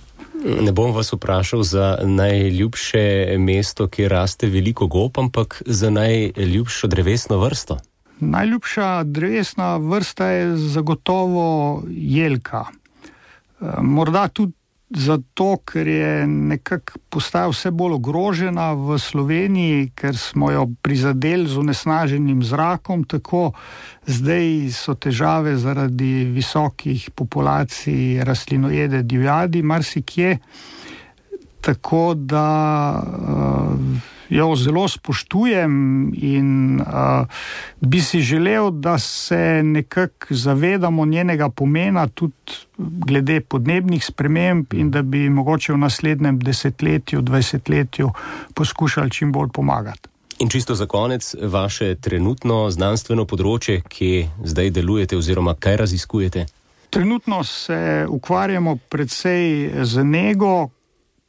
Ne bom vas vprašal za najljubše mesto, kjer raste veliko gob, ampak za najljubšo drevesno vrsto. Najljubša drevesna vrsta je zagotovo jelka. Morda tudi zato, ker je nekako postaja vse bolj ogrožena v Sloveniji, ker smo jo prizadeli z onesnaženim zrakom, tako zdaj so težave zaradi visokih populacij rastlinojede divjadi, marsikje, tako da uh, jo zelo spoštujem in uh, bi si želel, da se nekako zavedamo njenega pomena tudi glede podnebnih sprememb in da bi mogoče v naslednjem desetletju, dvajsetletju poskušali čim bolj pomagati. In čisto za konec, vaše trenutno znanstveno področje, kje zdaj delujete oziroma kaj raziskujete? Trenutno se ukvarjamo predvsej z nego,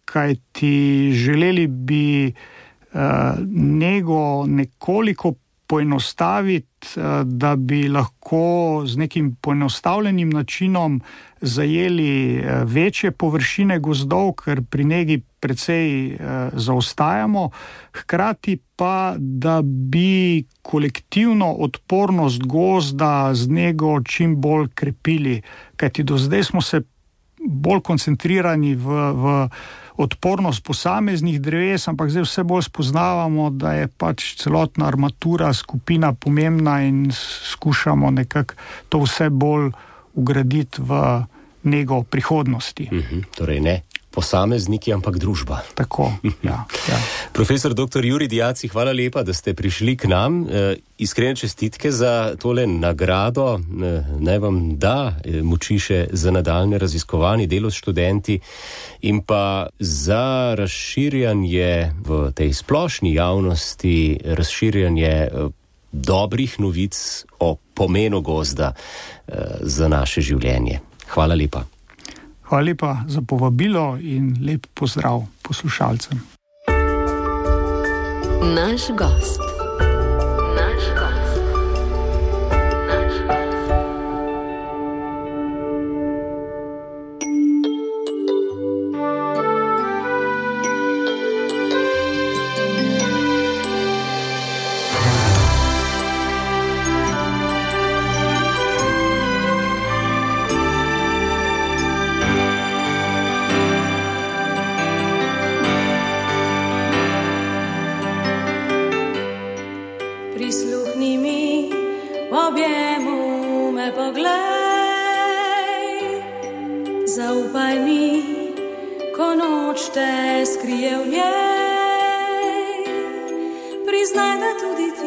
kajti želeli bi uh, nego nekoliko poenostaviti, uh, da bi lahko z nekim poenostavljenim načinom zajeli uh, večje površine gozdov, ker pri negi precej uh, zaostajamo, hkrati pa, da bi kolektivno odpornost gozda z nego čim bolj krepili, kajti do zdaj smo se bolj koncentrirani v, v odpornost posameznih dreves, ampak zdaj vse bolj spoznavamo, da je pač celotna armatura, skupina pomembna in skušamo nekako to vse bolj ugraditi v nego prihodnosti. Mhm, torej ne posamezniki, ampak družba. Tako, ja, ja. Profesor doktor Jurij Diaci, hvala lepa, da ste prišli k nam. E, iskrene čestitke za tole nagrado. E, naj vam da moči še za nadaljne raziskovanje, delo s študenti in pa za razširjanje v tej splošni javnosti, razširjanje dobrih novic o pomenu gozda e, za naše življenje. Hvala lepa. Hvala lepa za povabilo in lep pozdrav poslušalcem. Naš gost. Naš gost. Naš gost. Prisluhni mi, v objemu me poglej, zaupaj mi, ko noč te skrije v njej, priznaj, da tudi ti